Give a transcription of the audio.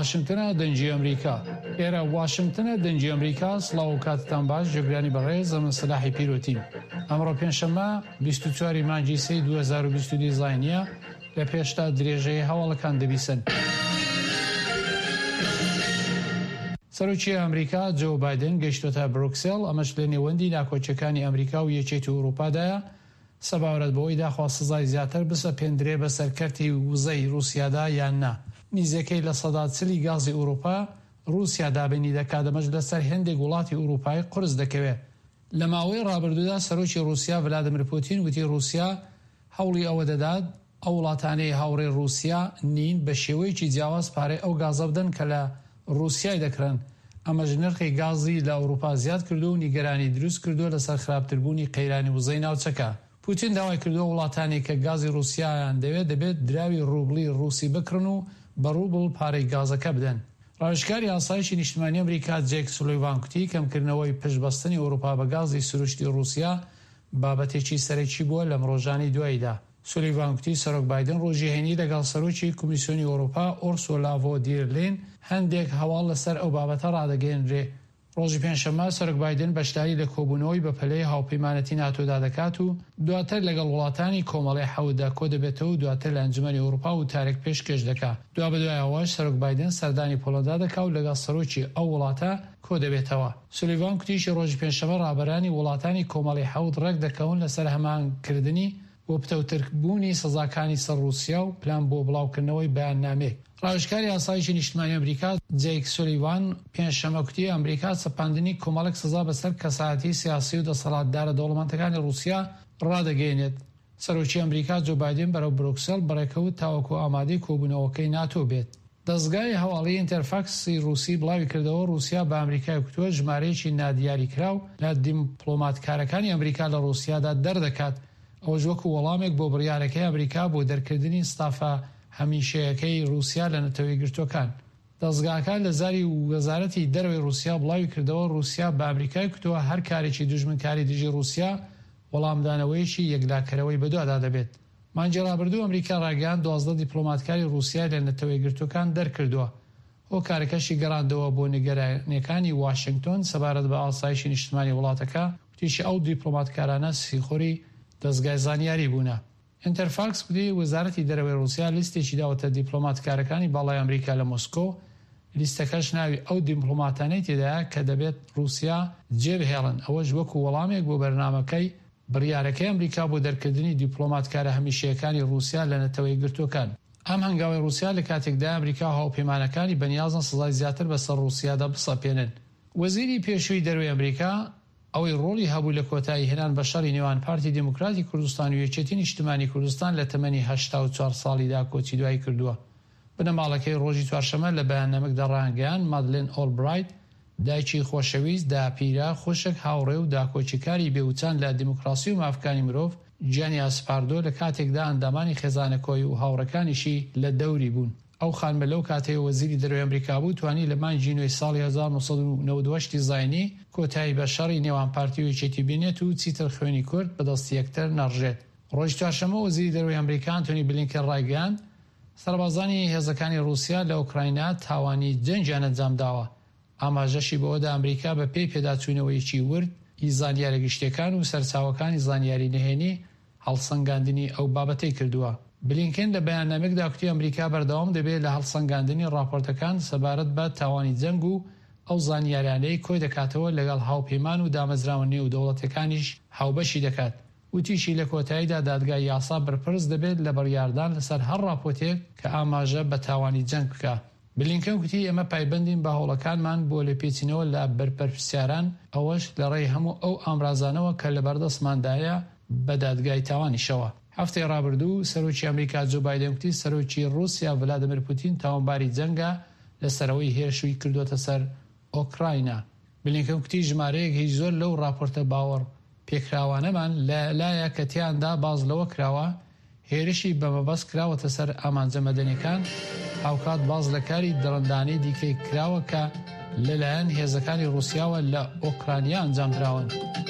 واشنگتنە دەنگی ئەمریکا. ئێرە واشنگتنە دەنگی ئەمریکا سڵاو و کاتتان باش جێگرانی بەڕێز ئەمن سەلاحی پیرۆتیم ئەمڕۆ پێنجشەممە 24 ی مانگی سێی 2022 زاینیە لە پێشدا درێژەی هەواڵەکان دەبیسن. سەرۆکی ئەمریکا جۆ بایدن گەیشتۆتە برۆکسێڵ، ئەمەش لە نێوەندی ناکۆکیەکانی ئەمریکا و یەکێتی ئەوروپادایە سەباورەت بەوەی داخوا سزای زیاتر بسەپێندرێ بەسەر کەرتی وزەی رووسیادا یان نا. نیزیکەی 40% ی گازی ئەوروپا رووسیا دابینی دەکات، ئەمەش لەسەر هێندێک وڵاتی ئەوروپایی قورس دەکەوێ. لە ماوەی رابردوودا سەرۆکی رووسیا ڤلادیمیر پوتین وتی رووسیا هەوڵی ئەوە دەدات ئەو وڵاتانەی هاوڕێی ڕووسیا نین بە شێوەیەکی جیاواز پارەی ئەو گازە بدەن کە لە ڕووسیای دەکڕن، ئەمەش نرخی گازی لە ئەوروپا زیاد کردووە و نیگەرانی دروست کردووە لەسەر خراپتربوونی قەیرانی وزەی ناوچەکە. پوتین داوای کردووە وڵاتانێک کە گازی ڕووسیایان دەوێت دەبێت دراوی ڕوبڵی ڕووسی بکڕن و بە ڕوبڵ پارەی گازەکە بدەن. ڕاوێژکاری ئاسایشی نیشتمانی ئەمریکا جەیک سولیڤان کوتی کەمکردنەوەی پشتبەستنی ئەوروپا بە گازی سروشتی ڕووسیا بابەتێکی سەرەکی بووە لەم ڕۆژانەی دواییدا. سولیڤان گوتی سەرۆک بایدن ڕۆژی هەینی لەگەڵ سەرۆکی کۆمیسیۆنی ئەوروپا ئۆرسۆلا ڤۆ دیر لین هەندێک هەواڵ لەسەر ئەو بابەتە ڕادەگەیەنرێ. ڕۆژی پێنجشەممە سەرۆک بایدن بەشداری لە کۆبوونەوەی بەپەلەی هاوپەیمانەتی ناتۆدا دەکات و دواتر لەگەڵ وڵاتانی کۆمەڵەی حەوتدا کۆدەبێتەوە و دواتر لە ئەنجومەنی ئەوروپا وتارێک پێشکێش دەکا. دوابەدوای ئەوەش سەرۆک بایدن سەردانی پۆڵەندا دەکا و لەگەڵ سەرۆکی ئەو وڵاتە کۆدەبێتەوە. سولیڤان کوتیشی ڕۆژی پێنجشەممە ڕابەرانی وڵاتانی کۆمەڵەی حەوت ڕێکدەکەون لەسەر هەماهەنگکردنی بۆ پتەوتر بوونی سزاکانی سەر ڕووسیا و پلان بۆ بڵاوکردنەوەی بەیاننامەیەک. ڕاوێژکاری ئاسایشی نیشتمانی ئەمریکا جەیک سولیڤان پێنجشەممە کوتی ئەمریکا سەپاندنی کۆمەڵێک سزا بەسەر کەسایەتی سیاسی و دەسەڵاتدارە دەوڵەمەندەکانی ڕووسیا ڕادەگەیەنێت. سەرۆکی ئەمریکا جۆ بایدن بەرەو برۆکسێڵ بەڕێکەوت تاوەکو ئامادەی کۆبوونەوەکەی ناتۆ بێت. دەزگای هەواڵیی ئینتەرفاکسی ڕووسی بڵاویکردەوە، ڕووسیا بە ئەمریکای کوتووە ژمارەیەکی نادیاریکراو لە دیمپڵۆماتکارەکانی ئەمریکا لە ڕووسیادا دەردەکات، ئەوەش وەکو وەڵامێک بۆ بڕیارەکەی ئەمریکا بۆ دەرکردنی ستافە هەمیشەیەکەی ڕووسیا لە نەتەوەیەکگرتووەکان. دەزگاکە لە زاری وەزارەتی دەرەوەی ڕووسیا بڵاویکردەوە، ڕووسیا بە ئەمریکای کوتووە هەر کارێکی دوژمنکاری دژی ڕووسیا وەڵامدانەوەیەکی یەکلاکەرەوەی بەدوادا دەبێت. مانگی ڕابردوو ئەمریکا ڕایگەیاند 12 دیپلۆماتکاری ڕووسیای لە نەتەوەیەکگرتووەکان دەرکردووە، هۆکارەکەشی گەڕاندەوە بۆ نیگەرانییەکانی واشنگتۆن سەبارەت بە ئاسایشی نیشتمانی وڵاتەکە، وتیشی ئەو دیپلۆماتکارانە سیخوڕی دەزگای زانیاری بوونە. ئینتەرفاکس گوتی وەزارەتی دەرەوەی ڕووسیا لیستێکی داوەتە دیپلۆماتکارەکانی باڵای ئەمریکا لە مۆسکۆ، لیستەکەش ناوی ئەو دیمپلۆماتانەی تێدایە کە دەبێت ڕووسیا جێبهێڵن، ئەوەش وەکو وەڵامێک بۆ بەرنامەکەی بڕیارەکەی ئەمریکا بۆ دەرکردنی دیپلۆماتکارە هەمیشەیەکانی ڕووسیا لە نەتەوە یەکگرتووەکان. ئەم هەنگاوەی ڕووسیا لە کاتێکدایە ئەمریکا و هاوپەیمانەکانی بەنیازن سزای زیاتر بەسەر ڕووسیادا بسەپێنن. وەزیری پێشووی دەرەوەی ئەمریکا، ئەوەی ڕۆڵی هەبوو لە کۆتایی هێنان بە شەڕی نێوان پارتی دیموکراتی کوردستان و یەکێتی نیشتمانی کوردستان لە تەمەنی 84 ساڵیدا کۆچی دوایی کردووە. بنەماڵەکەی ڕۆژی چوارشەممە لە بەیاننامەکدا ڕایانگەیاند، مادلێن ئۆڵبرایت، دایکی خۆشەویست، داپیرە، خوشک، هاوڕێ و داکۆکیکاری بێ وچان لە دیموکراسی و مافکانی مرۆڤ، گیانی ئاسپاردووە لە کاتێکدا ئەندامانی خێزانەکۆی و هاوڕێکانیشی لە دەوری بوون. ئەو خانمە لەو کاتەی وەزیری دەرەوەی ئەمریکا بوو، توانی لە مانگی نۆی ساڵی 1998 ی زاینی کۆتایی بە شەڕی نێوان پارتی و یەکێتی بێنێت و چیتر خوێنی کورد بە دەستی یەکتر نەڕژێت. ڕۆژی چوارشەممە وەزیری دەرەوەی ئەمریکا ئەنتۆنی بلینکن ڕایگەیاند، سەربازانی هێزەکانی ڕووسیا لە ئۆکراینا تاوانی جەنگیان ئەنجامداوە، ئاماژەشی بەوەدا ئەمریکا بە پێی پێداچوونەوەیەکی ورد ی زانیارە گشتیەکان و سەرچاوەکانی زانیاری نهێنی هەڵسەنگاندنی ئەو بابەتەی کردووە. بلینکن لە بەیاننامەیەکدا کوتی ئەمریکا بەردەوام دەبێت لە هەڵسەنگاندنی ڕاپۆرتەکان سەبارەت بە تاوانی جەنگ و ئەو زانیارانەی کۆیدەکاتەوە لەگەڵ هاوپەیمان و دامەزراوە نێودەوڵەتیەکانیش هاوبەشی دەکات. وتیشی، لە کۆتاییدا دادگای یاسا بەرپرس دەبێت لە بڕیاردان لەسەر هەر ڕاپۆتێک کە ئاماژە بە تاوانی جەنگ بکا. بلینکن گوتی، ئێمە پایبەندین بە هەوڵەکانمان بۆ لێپێچینەوە لە بەرپرسیاران، ئەوەش لەڕێی هەموو ئەو ئامرازانەوە کە لەبەردەستماندایە بە دادگای تاوانیشەوە. هەفتەی ڕابردوو، سەرۆکی ئەمریکا جۆ بایدن گوتی، سەرۆکی ڕووسیا ڤلادیمیر پوتین تاوانباری جەنگە لەسەر ئەوەی هێرشوی کردووەتە سەر ئۆکراینا. بلینکن گوتی ژمارەیەک هی زۆر لەو ڕاپۆرتە باوەڕ پێکراوانەمان لە لایە کە تیاندا باس لەوە کراوە هێرشی بە مەبەست کراوەتە سەر ئامانجە مەدەنیەکان، هاوکات باس لە کاری دڕندانەی دیکەی کراوە کە لە لایەن هێزەکانی ڕوسیاوە لە ئۆکرانیا ئەنجام دراون.